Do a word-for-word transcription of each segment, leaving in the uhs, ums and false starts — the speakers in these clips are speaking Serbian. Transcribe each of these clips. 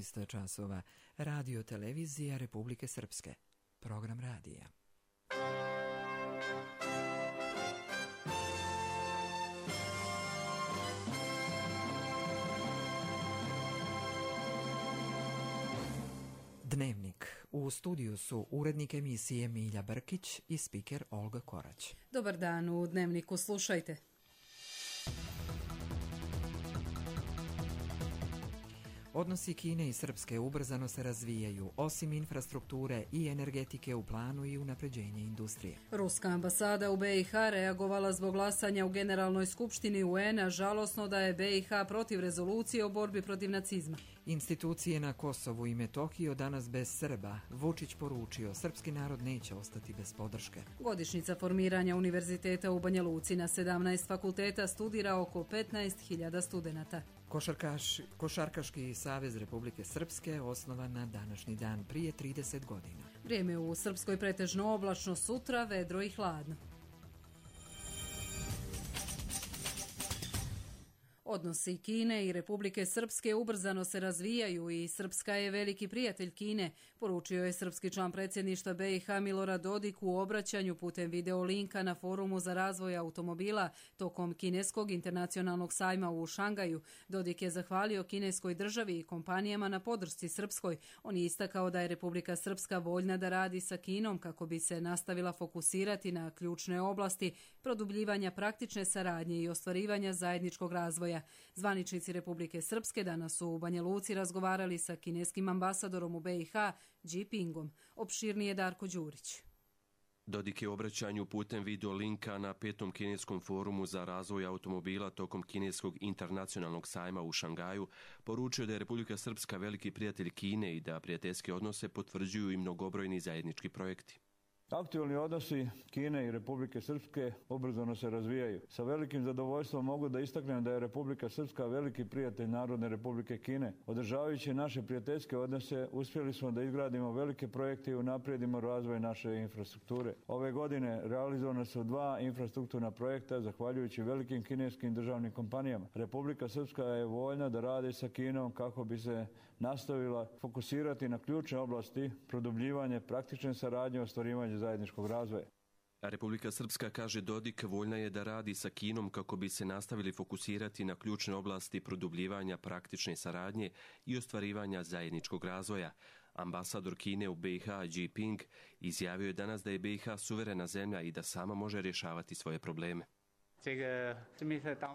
šest časova. Radio televizija Republike Srpske. Program radija. Dnevnik. U studiju su urednik emisije Milja Brkić i spiker Olga Korać. Dobar dan, u Dnevniku slušajte. Odnosi Kine i Srpske ubrzano se razvijaju, osim infrastrukture i energetike u planu i unapređenje industrije. Ruska ambasada u B i H reagovala zbog glasanja u Generalnoj skupštini U N-a, žalosno da je B i H protiv rezolucije o borbi protiv nacizma. Institucije na Kosovu i Metohiji danas bez Srba. Vučić poručio, srpski narod neće ostati bez podrške. Godišnjica formiranja univerziteta u Banja Luci, na sedamnaest fakulteta studira oko petnaest hiljada studenata. Košarkaš, Košarkaški savez Republike Srpske osnovan na današnji dan prije trideset godina. Vrijeme u Srpskoj pretežno oblačno, sutra vedro i hladno. Odnosi Kine i Republike Srpske ubrzano se razvijaju i Srpska je veliki prijatelj Kine, poručio je srpski član predsjedništva B i H Milorad Dodik u obraćanju putem video linka na forumu za razvoj automobila tokom kineskog internacionalnog sajma u Šangaju. Dodik je zahvalio kineskoj državi i kompanijama na podršci Srpskoj. On je istakao da je Republika Srpska voljna da radi sa Kinom kako bi se nastavila fokusirati na ključne oblasti produbljivanja praktične saradnje i ostvarivanja zajedničkog razvoja. Zvaničnici Republike Srpske danas su u Banja Luci razgovarali sa kineskim ambasadorom u B i H, Jinpingom. Opširnije Darko Đurić. Dodik je u obraćanju putem video linka na petom kineskom forumu za razvoj automobila tokom kineskog internacionalnog sajma u Šangaju poručio da je Republika Srpska veliki prijatelj Kine i da prijateljske odnose potvrđuju i mnogobrojni zajednički projekti. Aktualni odnosi Kine i Republike Srpske ubrzano se razvijaju. Sa velikim zadovoljstvom mogu da istaknem da je Republika Srpska veliki prijatelj Narodne Republike Kine. Održavajući naše prijateljske odnose, uspjeli smo da izgradimo velike projekte i unaprijedimo razvoj naše infrastrukture. Ove godine realizovane su dva infrastrukturna projekta zahvaljujući velikim kineskim državnim kompanijama. Republika Srpska je voljna da radi sa Kinom kako bi se nastavila fokusirati na ključne oblasti, produbljivanje praktične saradnje, ostvarivanje zajedničkog razvoja. Republika Srpska, kaže Dodik, voljna je da radi sa Kinom kako bi se nastavili fokusirati na ključne oblasti produbljivanja praktične saradnje i ostvarivanja zajedničkog razvoja. Ambasador Kine u B i H, Jinping, izjavio je danas da je B i H suverena zemlja i da sama može rješavati svoje probleme.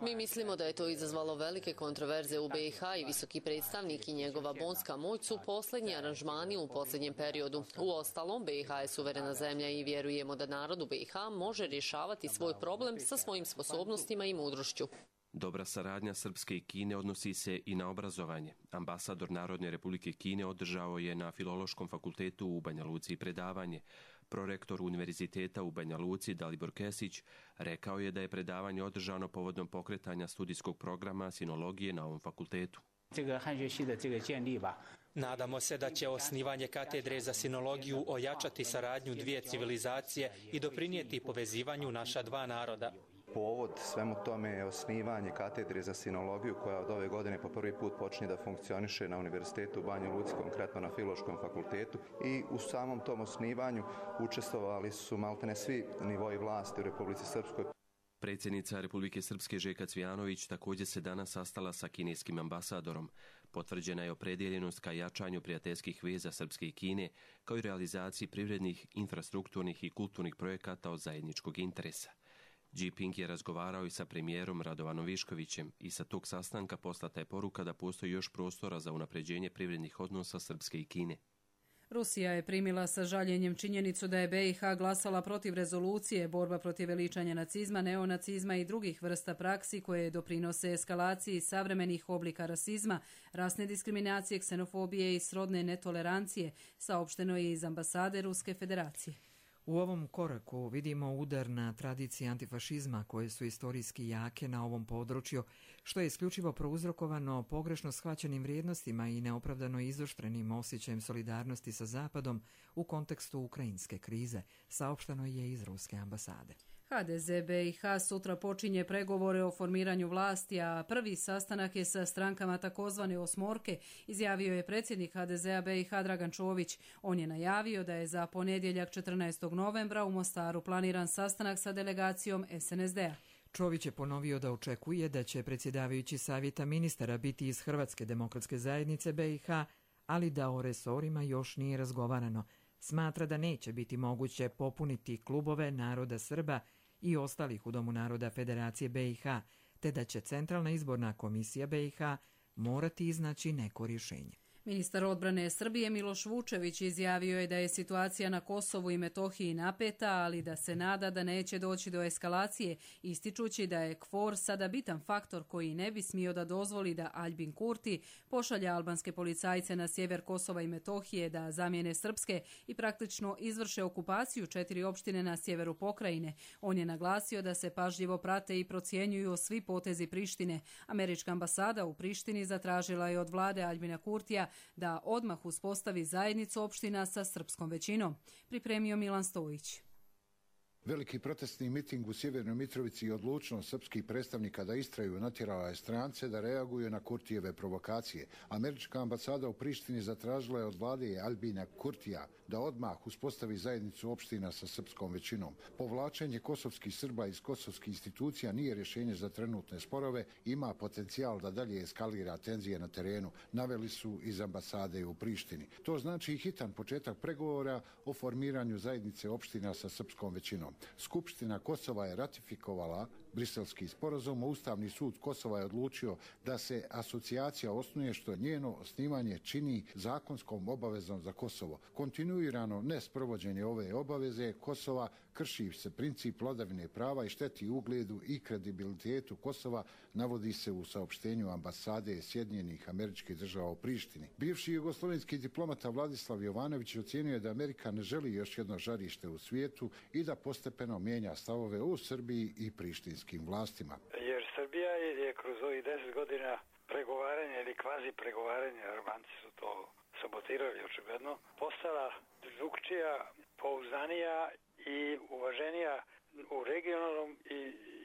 Mi mislimo da je to izazvalo velike kontroverze u B i H i visoki predstavnik i njegova bonska moć su posljednji aranžmani u posljednjem periodu. Uostalom, B i H je suverena zemlja i vjerujemo da narod u B i H može rješavati svoj problem sa svojim sposobnostima i mudrošću. Dobra saradnja Srpske i Kine odnosi se i na obrazovanje. Ambasador Narodne Republike Kine održao je na Filološkom fakultetu u Banja Luci predavanje. Prorektor Univerziteta u Banja Luci, Dalibor Kesić, rekao je da je predavanje održano povodom pokretanja studijskog programa sinologije na ovom fakultetu. Nadamo se da će osnivanje katedre za sinologiju ojačati saradnju dvije civilizacije i doprinijeti povezivanju naša dva naroda. Povod svemu tome je osnivanje katedre za sinologiju koja od ove godine po prvi put počinje da funkcioniše na Univerzitetu u Banji Luci, konkretno na Filološkom fakultetu, i u samom tom osnivanju učestvovali su maltene svi nivoji vlasti u Republici Srpskoj. Predsjednica Republike Srpske Željka Cvijanović također se danas sastala sa kineskim ambasadorom. Potvrđena je opredjeljenost ka jačanju prijateljskih veza Srpske i Kine, kao i realizaciji privrednih, infrastrukturnih i kulturnih projekata od zajedničkog interesa. Jinping je razgovarao i sa premijerom Radovanom Viškovićem i sa tog sastanka poslata je poruka da postoji još prostora za unapređenje privrednih odnosa Srpske i Kine. Rusija je primila sa žaljenjem činjenicu da je B i H glasala protiv rezolucije borba protiv veličanja nacizma, neonacizma i drugih vrsta praksi koje doprinose eskalaciji savremenih oblika rasizma, rasne diskriminacije, ksenofobije i srodne netolerancije, saopšteno je iz ambasade Ruske federacije. U ovom koraku vidimo udar na tradicije antifašizma koje su istorijski jake na ovom području, što je isključivo prouzrokovano pogrešno shvaćenim vrijednostima i neopravdano izoštrenim osjećajem solidarnosti sa Zapadom u kontekstu ukrajinske krize, saopšteno je iz Ruske ambasade. ha de ze be i ha sutra počinje pregovore o formiranju vlasti, a prvi sastanak je sa strankama takozvane osmorke, izjavio je predsjednik ha de zea be i ha Dragan Čović. On je najavio da je za ponedjeljak četrnaestog novembra u Mostaru planiran sastanak sa delegacijom es en es de a. Čović je ponovio da očekuje da će predsjedavajući savjeta ministara biti iz Hrvatske demokratske zajednice be i ha, ali da o resorima još nije razgovarano. Smatra da neće biti moguće popuniti klubove naroda Srba i ostalih u Domu naroda Federacije be i ha, te da će Centralna izborna komisija be i ha morati iznaći neko rješenje. Ministar odbrane Srbije Miloš Vučević izjavio je da je situacija na Kosovu i Metohiji napeta, ali da se nada da neće doći do eskalacije, ističući da je KFOR sada bitan faktor koji ne bi smio da dozvoli da Aljbin Kurti pošalje albanske policajce na sjever Kosova i Metohije da zamijene srpske i praktično izvrše okupaciju četiri opštine na sjeveru pokrajine. On je naglasio da se pažljivo prate i procjenjuju svi potezi Prištine. Američka ambasada u Prištini zatražila je od vlade Aljbina Kurtija da odmah uspostavi zajednicu opština sa srpskom većinom. Pripremio Milan Stojić. Veliki protestni miting u Sjevernoj Mitrovici i odlučnost srpskih predstavnika da istraju natjerala je strance da reaguju na Kurtijeve provokacije. Američka ambasada u Prištini zatražila je od vlade Aljbina Kurtija da odmah uspostavi zajednicu opština sa srpskom većinom. Povlačenje kosovskih Srba iz kosovskih institucija nije rješenje za trenutne sporove, ima potencijal da dalje eskalira tenzije na terenu, naveli su iz ambasade u Prištini. To znači hitan početak pregovora o formiranju zajednice opština sa srpskom većinom. Skupština Kosova je ratifikovala Briselski sporazum, a Ustavni sud Kosova je odlučio da se asocijacija osnuje, što njeno osnivanje čini zakonskom obavezom za Kosovo. Kontinuirano nesprovođenje ove obaveze Kosova krši se princip vladavine prava i šteti ugledu i kredibilitetu Kosova, navodi se u saopštenju ambasade Sjedinjenih Američkih Država u Prištini. Bivši jugoslovenski diplomata Vladislav Jovanović ocjenjuje da Amerika ne želi još jedno žarište u svijetu i da postepeno mijenja stavove u Srbiji i prištinskim vlastima. Jer Srbija je kroz ovih deset godina pregovaranja ili kvazi pregovaranja, Albanci su to sabotirali očigledno, postala drukčija, pouzdanija i uvaženija u regionalnom i,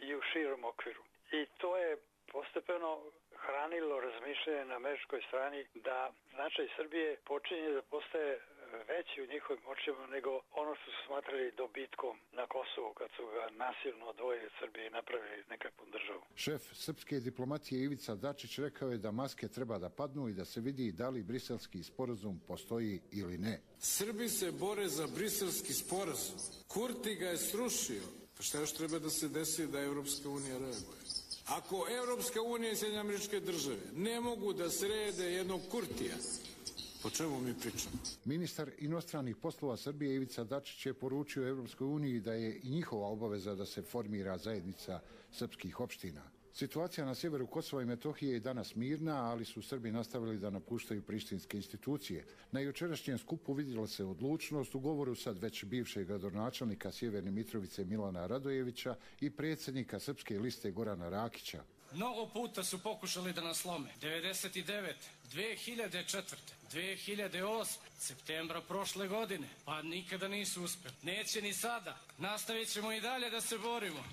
i u širom okviru. I to je postepeno hranilo razmišljanje na američkoj strani da značaj Srbije počinje da postaje veći u njihovim očima nego ono što su smatrali dobitkom na Kosovu kad su ga nasilno odvojili od Srbije i napravili nekakvu državu. Šef srpske diplomatije Ivica Dačić rekao je da maske treba da padnu i da se vidi da li briselski sporazum postoji ili ne. Srbi se bore za briselski sporazum. Kurti ga je srušio. Pa šta još treba da se desi da Evropska unija reaguje? Ako Evropska unija i Sjedinjene Američke Države ne mogu da srede jednog Kurtija, o čemu mi pričamo? Ministar inostranih poslova Srbije Ivica Dačić je poručio Evropskoj uniji da je i njihova obaveza da se formira zajednica srpskih opština. Situacija na sjeveru Kosova i Metohije je danas mirna, ali su Srbi nastavili da napuštaju prištinske institucije. Na jučerašnjem skupu vidjela se odlučnost u govoru sad već bivšeg gradonačelnika Sjeverne Mitrovice Milana Radojevića i predsjednika Srpske liste Gorana Rakića. Mnogo puta su pokušali da nas slome. devedeset devete, dve hiljade četvrte, dve hiljade osme, septembra prošle godine, pa nikada nisu uspjeli. Neće ni sada. Nastavit ćemo i dalje da se borimo.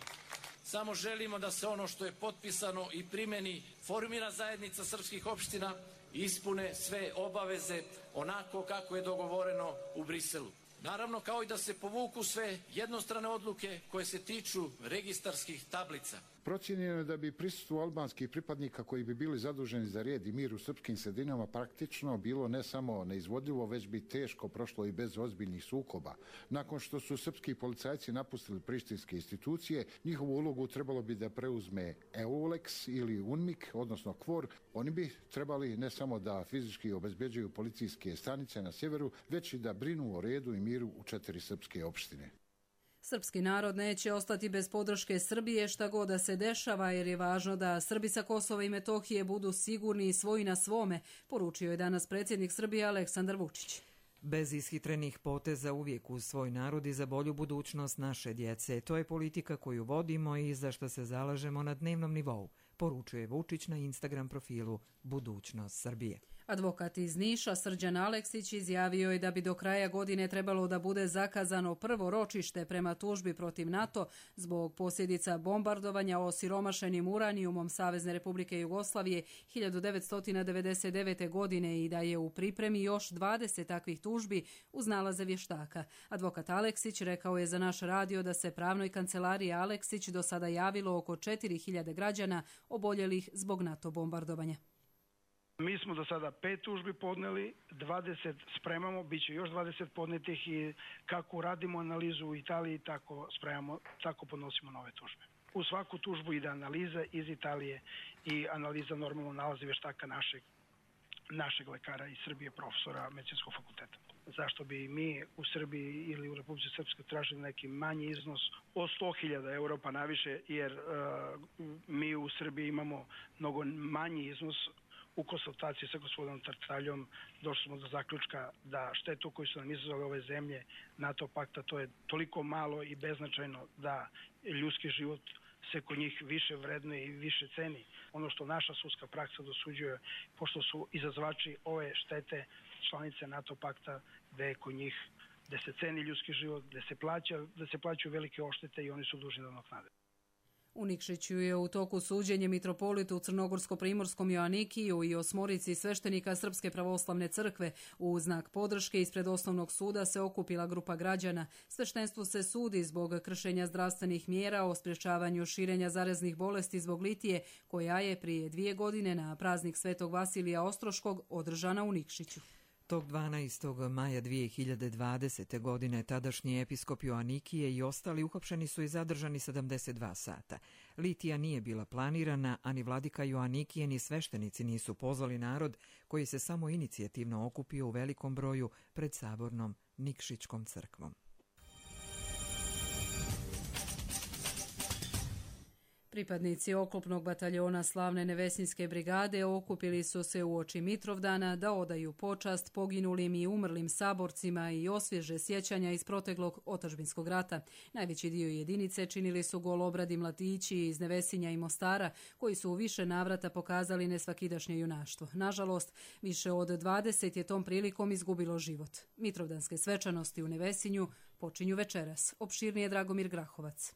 Samo želimo da se ono što je potpisano i primjeni, formira zajednica srpskih opština, ispune sve obaveze onako kako je dogovoreno u Briselu. Naravno, kao i da se povuku sve jednostrane odluke koje se tiču registarskih tablica. Procijenjeno je da bi prisustvo albanskih pripadnika koji bi bili zaduženi za red i mir u srpskim sredinama praktično bilo ne samo neizvodljivo, već bi teško prošlo i bez ozbiljnih sukoba. Nakon što su srpski policajci napustili prištinske institucije, njihovu ulogu trebalo bi da preuzme EULEX ili UNMIK, odnosno KFOR. Oni bi trebali ne samo da fizički obezbeđuju policijske stanice na sjeveru, već i da brinu o redu i miru u četiri srpske opštine. Srpski narod neće ostati bez podrške Srbije šta god da se dešava, jer je važno da Srbi sa Kosova i Metohije budu sigurni i svoji na svome, poručio je danas predsjednik Srbije Aleksandar Vučić. Bez ishitrenih poteza uvijek uz svoj narod i za bolju budućnost naše djece. To je politika koju vodimo i za što se zalažemo na dnevnom nivou, poručuje Vučić na Instagram profilu Budućnost Srbije. Advokat iz Niša Srđan Aleksić izjavio je da bi do kraja godine trebalo da bude zakazano prvo ročište prema tužbi protiv NATO zbog posljedica bombardovanja osiromašenim uranijumom Savezne Republike Jugoslavije hiljadu devetsto devedeset devete. godine i da je u pripremi još dvadeset takvih tužbi uz nalaze vještaka. Advokat Aleksić rekao je za naš radio da se pravnoj kancelariji Aleksić do sada javilo oko četiri hiljade građana oboljelih zbog NATO bombardovanja. Mi smo do sada pet tužbi podneli, dvadeset spremamo, bit će još dvadeset podnetih i kako radimo analizu u Italiji, tako spremamo, tako podnosimo nove tužbe. U svaku tužbu ide analiza iz Italije i analiza normalno nalazi vještaka našeg, našeg lekara iz Srbije, profesora medicinskog fakulteta. Zašto bi mi u Srbiji ili u Republici Srpskoj tražili neki manji iznos od sto hiljada eura pa naviše, jer uh, mi u Srbiji imamo mnogo manji iznos. U konsultaciji sa gospodinom Tartaljom došli smo do zaključka da štetu koju su nam izazvali ove zemlje NATO pakta, to je toliko malo i beznačajno da ljudski život se kod njih više vrednuje i više ceni. Ono što naša sudska praksa dosuđuje, pošto su izazvači ove štete članice NATO pakta, da je kod njih da se ceni ljudski život, da se plaća, da se plaćaju velike oštete i oni su dužni da nadoknade. U Nikšiću je u toku suđenje mitropolitu Crnogorsko-primorskom Joanikiju i osmorici sveštenika Srpske pravoslavne crkve. U znak podrške ispred osnovnog suda se okupila grupa građana. Sveštenstvu se sudi zbog kršenja zdravstvenih mjera o sprječavanju širenja zaraznih bolesti zbog litije, koja je prije dvije godine na praznik Svetog Vasilija Ostroškog održana u Nikšiću. Tog dvanaestog maja dvije hiljade dvadesete. godine tadašnji episkop Joanikije i ostali uhapšeni su i zadržani sedamdeset dva sata. Litija nije bila planirana, a ni vladika Joanikije ni sveštenici nisu pozvali narod koji se samo inicijativno okupio u velikom broju pred sabornom Nikšićkom crkvom. Pripadnici oklopnog bataljona Slavne Nevesinjske brigade okupili su se uoči Mitrovdana da odaju počast poginulim i umrlim saborcima i osvježe sjećanja iz proteklog otadžbinskog rata. Najveći dio jedinice činili su golobradi mladići iz Nevesinja i Mostara, koji su u više navrata pokazali nesvakidašnje junaštvo. Nažalost, više od dvadeset je tom prilikom izgubilo život. Mitrovdanske svečanosti u Nevesinju počinju večeras. Opširnije Dragomir Grahovac.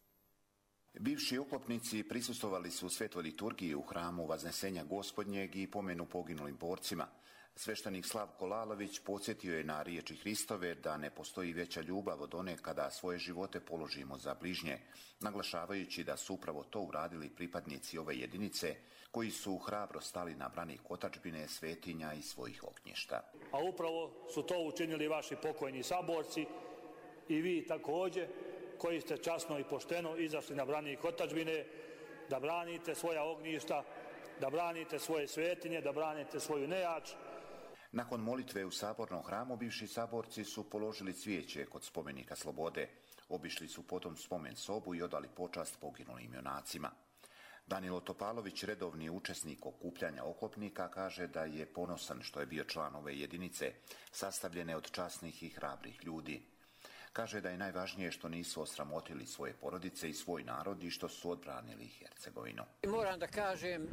Bivši oklopnici prisustvovali su svetoj liturgiji u hramu Vaznesenja Gospodnjeg i pomenu poginulim borcima. Sveštenik Slavko Lalović podsjetio je na riječi Hristove da ne postoji veća ljubav od one kada svoje živote položimo za bližnje, naglašavajući da su upravo to uradili pripadnici ove jedinice koji su hrabro stali na branik otadžbine, svetinja i svojih ognjišta. A upravo su to učinili vaši pokojni saborci i vi također, koji ste časno i pošteno izašli na branik otadžbine, da branite svoja ognjišta, da branite svoje svetinje, da branite svoju nejač. Nakon molitve u sabornom hramu, bivši saborci su položili cvijeće kod spomenika slobode. Obišli su potom spomen sobu i odali počast poginulim junacima. Danilo Topalović, redovni učesnik okupljanja oklopnika, kaže da je ponosan što je bio član ove jedinice, sastavljene od časnih i hrabrih ljudi. Kaže da je najvažnije što nisu osramotili svoje porodice i svoj narod i što su odbranili Hercegovinu. Moram da kažem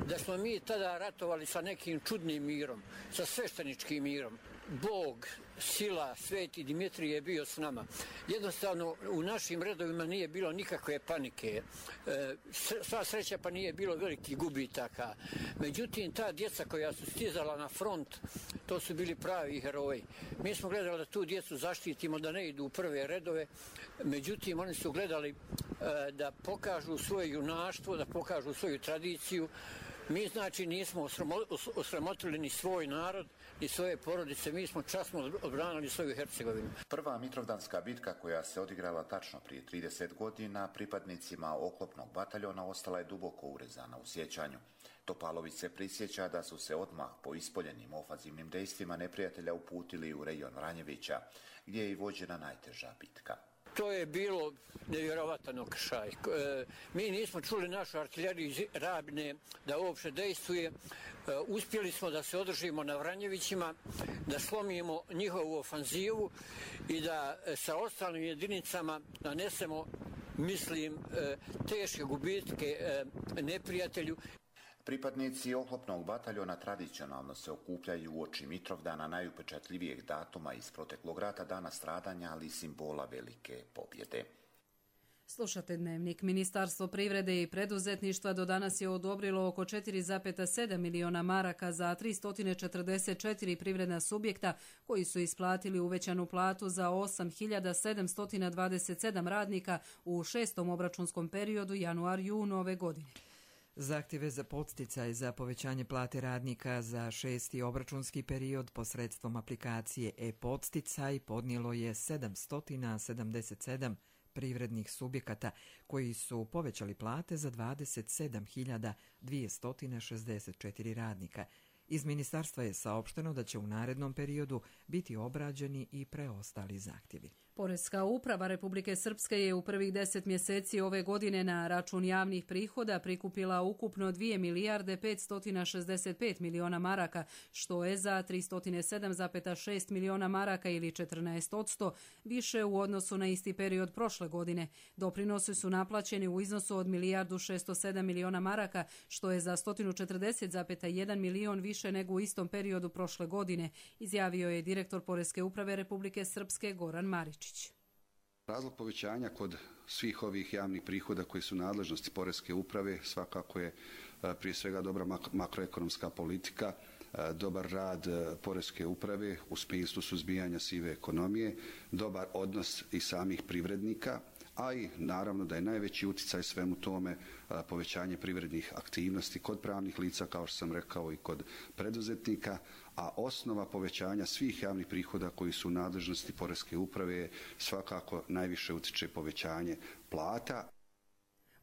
da smo mi tada ratovali sa nekim čudnim mirom, sa svešteničkim mirom. Bog, sila, sveti Dimitrije je bio s nama. Jednostavno u našim redovima nije bilo nikakve panike. E, sva sreća pa nije bilo velikih gubitaka. Međutim, ta djeca koja su stizala na front, to su bili pravi heroji. Mi smo gledali da tu djecu zaštitimo, da ne idu u prve redove. Međutim, oni su gledali e, da pokažu svoje junaštvo, da pokažu svoju tradiciju. Mi znači nismo osramotili ni svoj narod, ni svoje porodice, mi smo časno odbranili svoju Hercegovinu. Prva Mitrovdanska bitka koja se odigrala tačno prije trideset godina pripadnicima oklopnog bataljona ostala je duboko urezana u sjećanju. Topalović se prisjeća da su se odmah po ispoljenim ofanzivnim dejstvima neprijatelja uputili u rejon Vranjevića, gdje je i vođena najteža bitka. To je bilo nevjerovatan okršaj. E, mi nismo čuli našu artiljeriju iz Rabine da uopšte dejstvuje. E, uspjeli smo da se održimo na Vranjevićima, da slomimo njihovu ofanzivu i da e, sa ostalim jedinicama nanesemo, mislim, e, teške gubitke e, neprijatelju. Pripadnici oklopnog bataljona tradicionalno se okupljaju uoči Mitrovdana, najupečatljivijeg datuma iz proteklog rata, dana stradanja, ali i simbola velike pobjede. Slušate Dnevnik. Ministarstvo privrede i preduzetništva do danas je odobrilo oko četiri zarez sedam miliona maraka za tristo četrdeset četiri privredna subjekta koji su isplatili uvećanu platu za osam hiljada sedamsto dvadeset sedam radnika u šestom obračunskom periodu januar-jun ove godine. Zahtjeve za podsticaj za povećanje plate radnika za šesti obračunski period posredstvom aplikacije e-podsticaj podnijelo je sedamsto sedamdeset sedam privrednih subjekata koji su povećali plate za dvadeset sedam hiljada dvjesto šezdeset četiri radnika. Iz ministarstva je saopšteno da će u narednom periodu biti obrađeni i preostali zahtjevi. Poreska uprava Republike Srpske je u prvih deset mjeseci ove godine na račun javnih prihoda prikupila ukupno dvije milijarde petsto šezdeset pet miliona maraka, što je za tristo sedam zarez šest miliona maraka ili četrnaest posto više u odnosu na isti period prošle godine. Doprinosi su naplaćeni u iznosu od milijardu šesto sedam miliona maraka, što je za sto četrdeset zarez jedan milion više nego u istom periodu prošle godine, izjavio je direktor Poreske uprave Republike Srpske Goran Marić. Razlog povećanja kod svih ovih javnih prihoda koji su nadležnosti Poreske uprave svakako je prije svega dobra makroekonomska politika, dobar rad Poreske uprave u smislu suzbijanja sive ekonomije, dobar odnos i samih privrednika, a i naravno da je najveći utjecaj svemu tome povećanje privrednih aktivnosti kod pravnih lica, kao što sam rekao, i kod preduzetnika, a osnova povećanja svih javnih prihoda koji su u nadležnosti Poreske uprave svakako najviše utječe povećanje plata.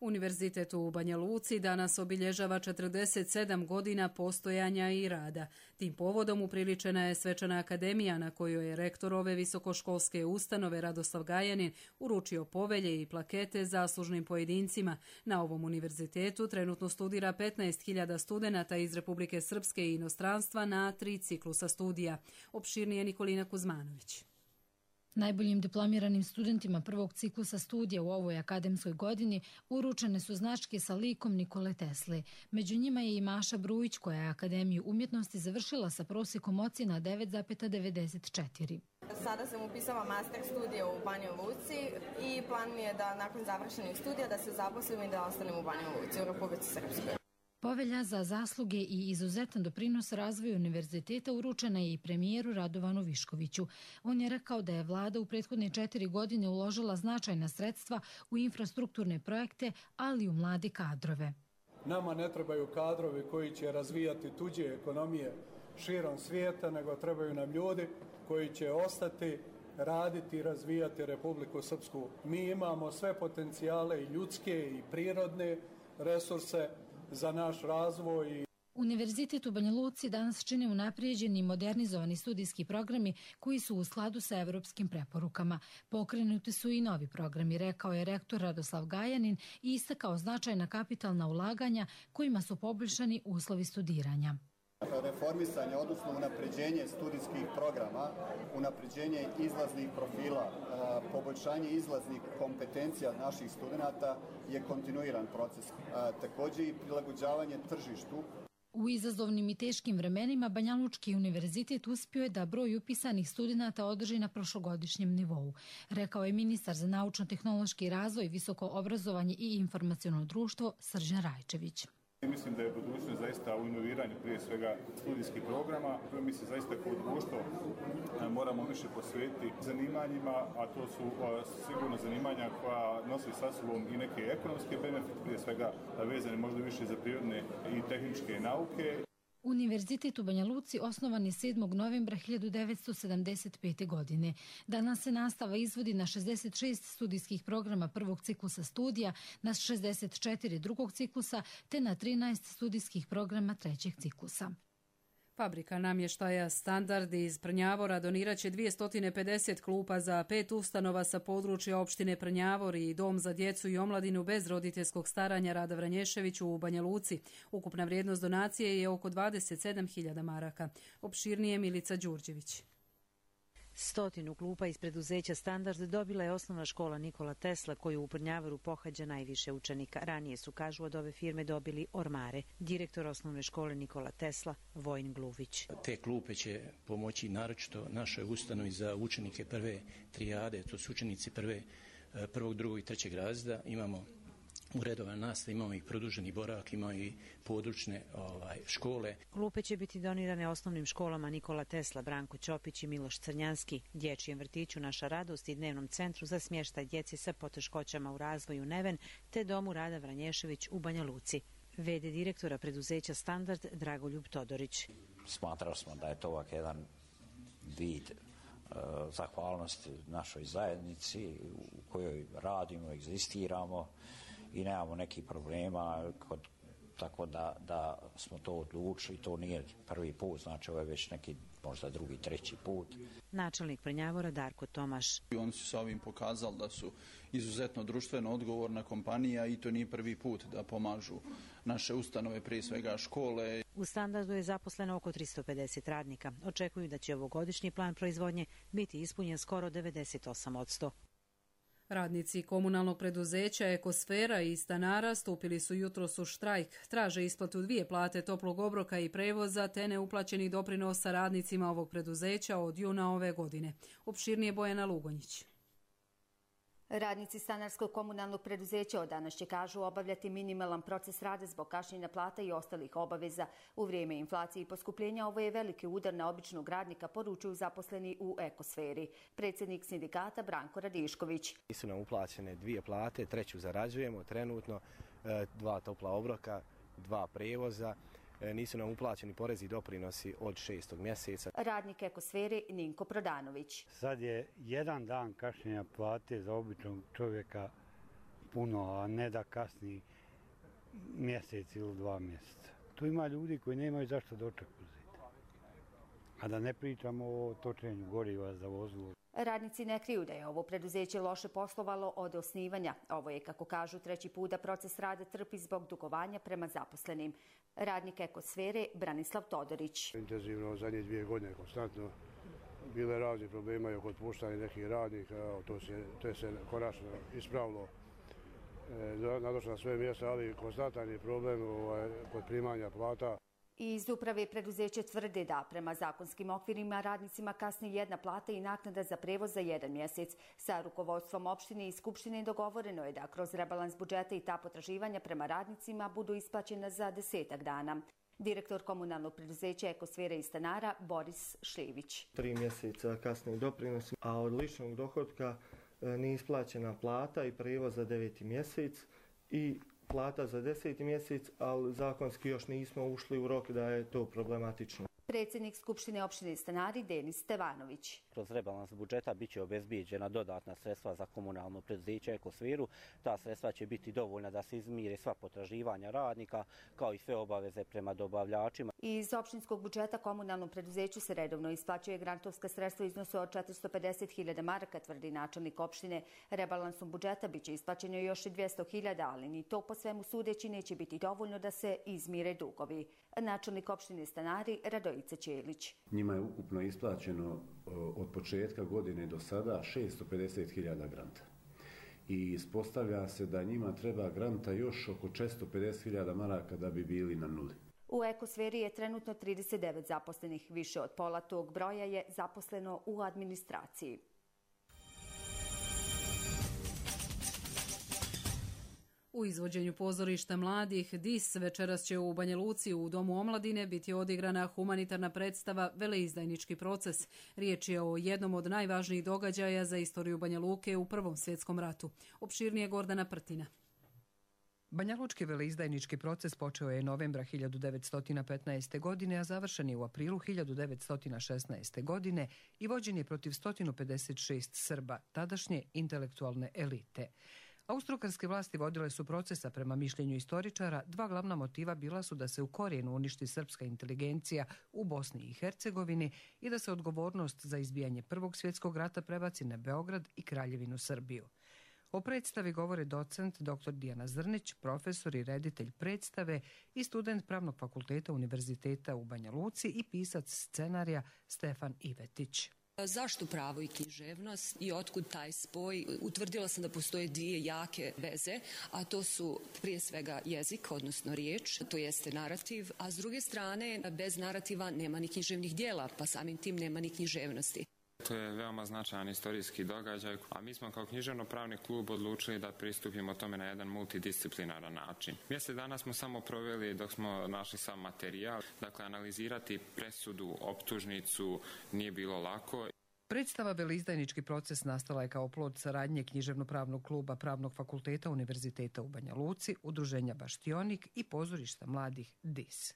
Univerzitet u Banja Luci danas obilježava četrdeset sedam godina postojanja i rada. Tim povodom upriličena je svečana akademija na kojoj je rektor ove visokoškolske ustanove Radoslav Gajanin uručio povelje i plakete zaslužnim pojedincima. Na ovom univerzitetu trenutno studira petnaest hiljada studenata iz Republike Srpske i inostranstva na tri ciklusa studija. Opširnije Nikolina Kuzmanović. Najboljim diplomiranim studentima prvog ciklusa studija u ovoj akademskoj godini uručene su značke sa likom Nikole Tesle. Među njima je i Maša Brujić, koja je Akademiju umjetnosti završila sa prosjekom ocjena devet zarez devedeset četiri. Sada sam upisala master studije u Banjoj Luci i plan mi je da nakon završenih studija da se zaposlim i da ostanem u Banjoj Luci u Republici Srpskoj. Povelja za zasluge i izuzetan doprinos razvoju univerziteta uručena je i premijeru Radovanu Viškoviću. On je rekao da je vlada u prethodne četiri godine uložila značajna sredstva u infrastrukturne projekte, ali i u mlade kadrove. Nama ne trebaju kadrovi koji će razvijati tuđe ekonomije širom svijeta, nego trebaju nam ljudi koji će ostati, raditi i razvijati Republiku Srpsku. Mi imamo sve potencijale, i ljudske i prirodne resurse za naš razvoj. Univerzitet u Banja Luci danas čine unaprijeđeni i modernizovani studijski programi koji su u skladu sa evropskim preporukama. Pokrenuti su i novi programi, rekao je rektor Radoslav Gajanin i istakao značajna kapitalna ulaganja kojima su poboljšani uslovi studiranja. Reformisanje, odnosno unapređenje studijskih programa, unapređenje izlaznih profila, poboljšanje izlaznih kompetencija naših studenata je kontinuiran proces. Također i prilagođavanje tržištu. U izazovnim i teškim vremenima Banjalučki univerzitet uspio je da broj upisanih studenata održi na prošlogodišnjem nivou, rekao je ministar za naučno-tehnološki razvoj, visoko obrazovanje i informaciono društvo Srđan Rajčević. Mislim da je budućnost zaista u inoviranju prije svega studijskih programa. Mi se zaista kao društvo moramo više posvetiti zanimanjima, a to su sigurno zanimanja koja nose sa sobom i neke ekonomske benefite, prije svega vezane možda više za prirodne i tehničke nauke. Univerzitet u Banja Luci osnovan je sedmog novembra hiljadu devetsto sedamdeset pete. godine. Danas se nastava izvodi na šezdeset šest studijskih programa prvog ciklusa studija, na šezdeset četiri drugog ciklusa te na trinaest studijskih programa trećeg ciklusa. Fabrika namještaja Standard iz Prnjavora donirat će dvjesto pedeset klupa za pet ustanova sa područja opštine Prnjavor i Dom za djecu i omladinu bez roditeljskog staranja Rada Vranješević u Banja Luci. Ukupna vrijednost donacije je oko dvadeset sedam hiljada maraka. Opširnije Milica Đurđević. Stotinu klupa iz preduzeća Standard dobila je osnovna škola Nikola Tesla, koju u Brnjavaru pohađa najviše učenika. Ranije su, kažu, od ove firme dobili ormare. Direktor osnovne škole Nikola Tesla, Vojin Gluvić. Te klupe će pomoći naročito našoj ustanovi za učenike prve trijade, to su učenici prve, prvog, drugog i trećeg razreda. Imamo u redovnoj nastavi, imamo i produženi boravak, imamo i područne ovaj, škole. Klupe će biti donirane osnovnim školama Nikola Tesla, Branko Ćopić i Miloš Crnjanski, dječjem vrtiću Naša radost i dnevnom centru za smještaj djece sa poteškoćama u razvoju Neven, te domu Rada Vranješević u Banja Luci. V D direktora preduzeća Standard Dragoljub Todorić. Smatrali smo da je to ovak jedan vid uh, zahvalnosti našoj zajednici u kojoj radimo, egzistiramo i nemamo nekih problema, kod, tako da, da smo to odlučili. To nije prvi put, znači ovo je već neki možda drugi, treći put. Načelnik Brnjavora Darko Tomaš. Oni su sa ovim pokazali da su izuzetno društveno odgovorna kompanija i to nije prvi put da pomažu naše ustanove, prije svega škole. U Standardu je zaposleno oko tristo pedeset radnika. Očekuju da će ovogodišnji plan proizvodnje biti ispunjen skoro devedeset osam posto. Radnici komunalnog preduzeća Ekosfera i stanara stupili su jutros u štrajk. Traže isplatu dvije plate toplog obroka i prevoza te neuplaćenih doprinosa radnicima ovog preduzeća od juna ove godine. Opširnije Bojana Lugonjić. Radnici stanarskog komunalnog preduzeća od danas će, kažu, obavljati minimalan proces rada zbog kašnjenja plata i ostalih obaveza. U vrijeme inflacije i poskupljenja ovo je veliki udar na običnog radnika, poručuju zaposleni u Ekosferi. Predsjednik sindikata Branko Radišković. Nisu nam uplaćene dvije plate, treću zarađujemo trenutno, dva topla obroka, dva prevoza. Nisu nam uplaćeni porezi i doprinosi od šestog mjeseca. Radnik Ekosfere Ninko Prodanović. Sad je jedan dan kašnjenja plate za običnog čovjeka puno, a ne da kasni mjesec ili dva mjeseca. Tu ima ljudi koji nemaju zašto doček uzeti. A da ne pričamo o točenju goriva za vozilo. Radnici ne kriju da je ovo preduzeće loše poslovalo od osnivanja. Ovo je, kako kažu, treći put da proces rada trpi zbog dugovanja prema zaposlenim. Radnik Ekosfere Branislav Todorić. Intenzivno zadnje dvije godine konstantno bile razni problema i oko otpuštanja nekih radnika. To se, to se konačno ispravilo. E, nadošlo na sve mjesta, ali konstantan je problem ovaj, kod primanja plata. Iz uprave preduzeće tvrde da prema zakonskim okvirima radnicima kasni jedna plata i naknada za prevoz za jedan mjesec. Sa rukovodstvom opštine i skupštine dogovoreno je da kroz rebalans budžeta i ta potraživanja prema radnicima budu isplaćena za desetak dana. Direktor komunalnog preduzeća Ekosfera i stanara Boris Šljević. Tri mjeseca kasni doprinos, a od ličnog dohotka nije isplaćena plata i prevoz za deveti mjesec i plata za deseti mjesec, ali zakonski još nismo ušli u rok da je to problematično. Predsjednik Skupštine opštine Stanari Denis Stevanović. Kroz rebalans budžeta biće obezbijeđena dodatna sredstva za komunalno preduzeće Ekosferu. Ta sredstva će biti dovoljna da se izmire sva potraživanja radnika, kao i sve obaveze prema dobavljačima. Iz opštinskog budžeta komunalnom preduzeću se redovno isplaćuje grantovska sredstva iznosu od četiristo pedeset hiljada maraka, tvrdi načelnik opštine. Rebalansom budžeta biće isplaćeno još i dvjesto hiljada, ali ni to po svemu sudeći neće biti dovoljno da se izmire dugovi. Načelnik opštine Stanari Radojica Ćelić. Njima je ukupno isplaćeno od početka godine do sada šesto pedeset hiljada granta. I ispostavlja se da njima treba granta još oko četiristo pedeset hiljada maraka da bi bili na nuli. U Ekosferi je trenutno trideset devet zaposlenih. Više od pola tog broja je zaposleno u administraciji. U izvođenju pozorišta mladih D I S večeras će u Banja Luci u Domu omladine biti odigrana humanitarna predstava Veleizdajnički proces. Riječ je o jednom od najvažnijih događaja za istoriju Banja Luke u Prvom svjetskom ratu. Opširnije Gordana Prtina. Banjalučki veleizdajnički proces počeo je novembra hiljadu devetsto petnaeste. godine, a završen je u aprilu hiljadu devetsto šesnaeste. godine i vođen je protiv sto pedeset šest Srba, tadašnje intelektualne elite. Austrougarske vlasti vodile su procesa prema mišljenju istoričara. Dva glavna motiva bila su da se u korijenu uništi srpska inteligencija u Bosni i Hercegovini i da se odgovornost za izbijanje Prvog svjetskog rata prebaci na Beograd i Kraljevinu Srbiju. O predstavi govore docent doktor Dijana Zrnić, profesor i reditelj predstave i student Pravnog fakulteta Univerziteta u Banja Luci i pisac scenarija Stefan Ivetić. Zašto pravo i književnost i otkud taj spoj? Utvrdila sam da postoje dvije jake veze, a to su prije svega jezik, odnosno riječ, to jeste narativ, a s druge strane bez narativa nema ni književnih dijela, pa samim tim nema ni književnosti. To je veoma značajan istorijski događaj, a mi smo kao književno-pravni klub odlučili da pristupimo tome na jedan multidisciplinaran način. Mjesec dana smo samo proveli dok smo našli sam materijal, dakle analizirati presudu, optužnicu nije bilo lako. Predstava Veleizdajnički proces nastala je kao plod saradnje književno-pravnog kluba Pravnog fakulteta Univerziteta u Banja Luci, udruženja Baštionik i pozorišta mladih D I S.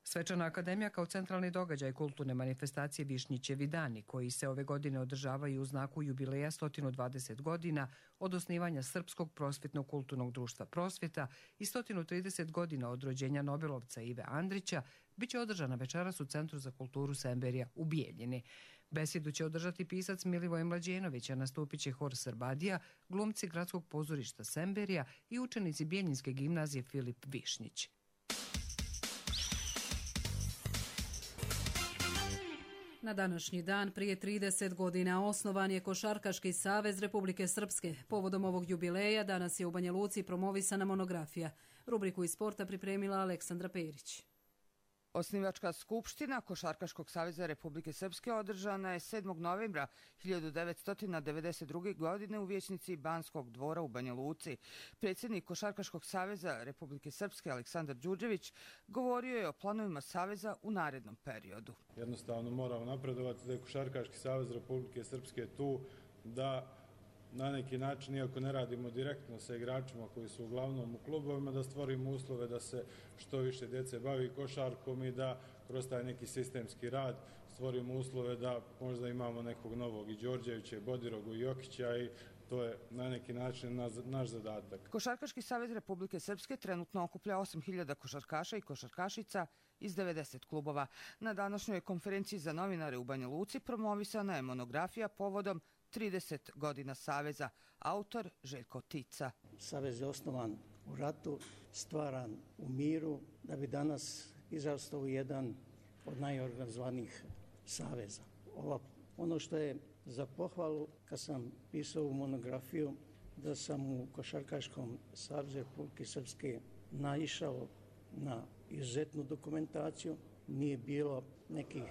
Svečana akademija kao centralni događaj kulturne manifestacije Višnjićevi dani, koji se ove godine održavaju u znaku jubileja sto dvadeset godina od osnivanja Srpskog prosvjetnog kulturnog društva Prosvjeta i sto trideset godina od rođenja Nobelovca Ive Andrića, bit će održana večeras u Centru za kulturu Semberija u Bijeljini. Besjedu će održati pisac Milivoj Mlađenović, a nastupit će hor Srbadija, glumci Gradskog pozorišta Semberija i učenici Bijeljinske gimnazije Filip Višnjić. Na današnji dan prije trideset godina osnovan je Košarkaški savez Republike Srpske. Povodom ovog jubileja danas je u Banja Luci promovisana monografija. Rubriku iz sporta pripremila Aleksandra Perić. Osnivačka skupština Košarkaškog saveza Republike Srpske održana je sedmog novembra hiljadu devetsto devedeset druge. godine u vijećnici Banskog dvora u Banja Luci. Predsjednik Košarkaškog saveza Republike Srpske Aleksandar Đurđević govorio je o planovima saveza u narednom periodu. Jednostavno moramo napredovati da je Košarkaški savez Republike Srpske tu da na neki način, iako ne radimo direktno sa igračima koji su uglavnom u klubovima, da stvorimo uslove da se što više djece bavi košarkom i da kroz taj neki sistemski rad stvorimo uslove da možda imamo nekog novog i Đorđevića, i Bodirogu, i Jokića, i to je na neki način naš zadatak. Košarkaški savez Republike Srpske trenutno okuplja osam hiljada košarkaša i košarkašica iz devedeset klubova. Na današnjoj konferenciji za novinare u Banja Luci promovisana je monografija povodom trideset godina Saveza. Autor Željko Tica. Savez je osnovan u ratu, stvaran u miru, da bi danas izrastao u jedan od najorganizovanijih saveza. Ova, ono što je za pohvalu, kad sam pisao u monografiju, da sam u Košarkaškom savezu Republike Srpske naišao na izuzetnu dokumentaciju, nije bilo nekih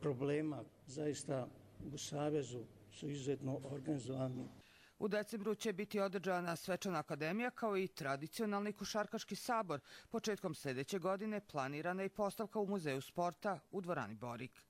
problema, zaista u savezu su izuzetno organizovani. U decembru će biti održana svečana akademija kao i tradicionalni košarkaški sabor. Početkom sljedeće godine planirana je postavka u Muzeju sporta u dvorani Borik.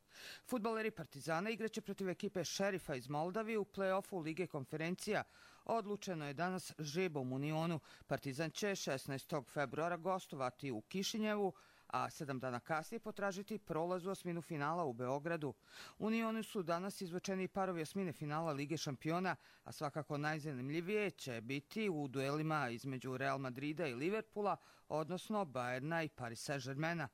Fudbaleri Partizana igraće protiv ekipe Šerifa iz Moldavije u play-offu Lige konferencija. Odlučeno je danas žrebom u Unionu. Partizan će šesnaestog februara gostovati u Kišinjevu, a sedam dana kasnije potražiti prolaz u osminu finala u Beogradu. U Unionu su danas izvučeni parovi osmine finala Lige šampiona, a svakako najzanimljivije će biti u duelima između Real Madrida i Liverpoola, odnosno Bajerna i Paris Saint-Germaina.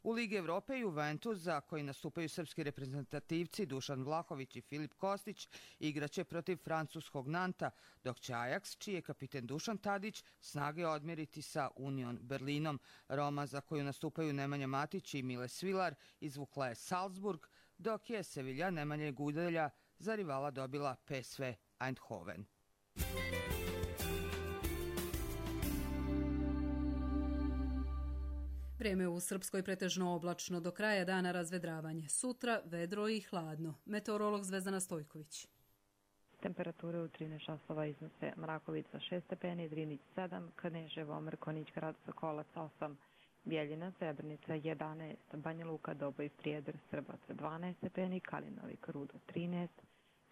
U Ligi Evrope Juventus, za koji nastupaju srpski reprezentativci Dušan Vlahović i Filip Kostić, igraće protiv francuskog Nanta, dok će Ajax, čiji je kapiten Dušan Tadić, snage odmjeriti sa Union Berlinom. Roma, za koju nastupaju Nemanja Matić i Mile Svilar, izvukla je Salzburg, dok je Sevilla Nemanje Gudelja za rivala dobila P S V Eindhoven. Vrijeme u Srpskoj pretežno oblačno, do kraja dana razvedravanje. Sutra vedro i hladno. Meteorolog Zvezdana Stojković. Temperature u trinaest časova iznose Mrakovica šest stepeni, Drinić sedam, Kneževo, Mrkonjić, Grad Sokolac osam, Bjeljina, Srebrenica jedanaest, Banja Luka, Doboj, Prijedor, Srbac dvanaest stepeni, Kalinovik, Rudo trinaest,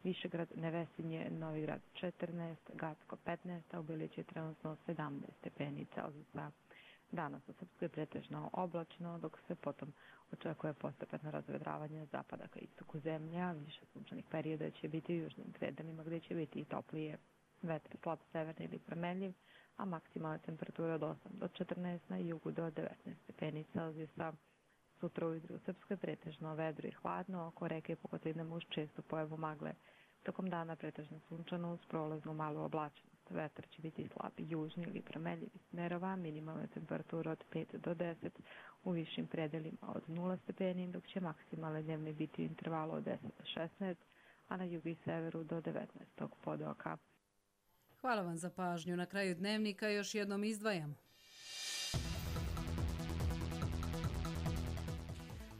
Višegrad, Nevesinje, Novigrad četrnaest, Gacko petnaest, a u Bilići je trenutno sedamnaest stepeni Celzijusa. Danas u Srpskoj pretežno oblačno, dok se potom očekuje postepeno razvedravanje zapada ka istoku zemlje, a više sunčanih perioda će biti u južnim predelima gdje će biti i toplije. Vetar slab severni ili promenljiv, a maksimalna temperatura od osam do četrnaest, na jugu do devetnaest stepeni Celzijusa. Sutra ujutro u Srpskoj pretežno vedro i hladno, oko reke i po kotlinama uz čestu pojavu magle. Tokom dana pretežno sunčano uz prolaznu malu oblačenost. Vetar će biti slab južni ili promenljivi smerova, minimalna temperatura od pet do deset, u višim predelima od nula stepeni, dok će maksimalne dnevne biti u intervalu od deset do šesnaest, a na jugu i severu do devetnaestog pod oka. Hvala vam za pažnju. Na kraju dnevnika još jednom izdvajamo.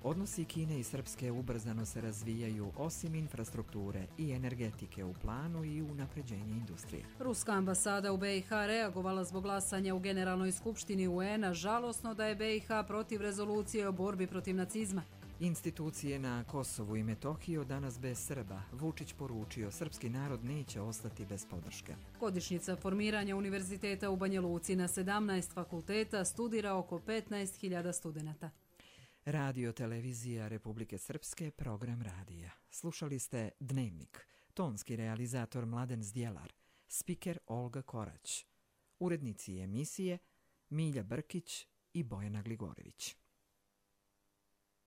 Odnosi Kine i Srpske ubrzano se razvijaju osim infrastrukture i energetike u planu i unapređenje industrije. Ruska ambasada u B i H reagovala zbog glasanja u Generalnoj skupštini U N-a, žalosno da je B i H protiv rezolucije o borbi protiv nacizma. Institucije na Kosovu i Metohiji od danas bez Srba. Vučić poručio, srpski narod neće ostati bez podrške. Godišnjica formiranja univerziteta u Banja Luci, na sedamnaest fakulteta studira oko petnaest hiljada studenata. Radio televizija Republike Srpske, program radija. Slušali ste Dnevnik, tonski realizator Mladen Zdjelar, spiker Olga Korać, urednici emisije Milja Brkić i Bojana Gligorević.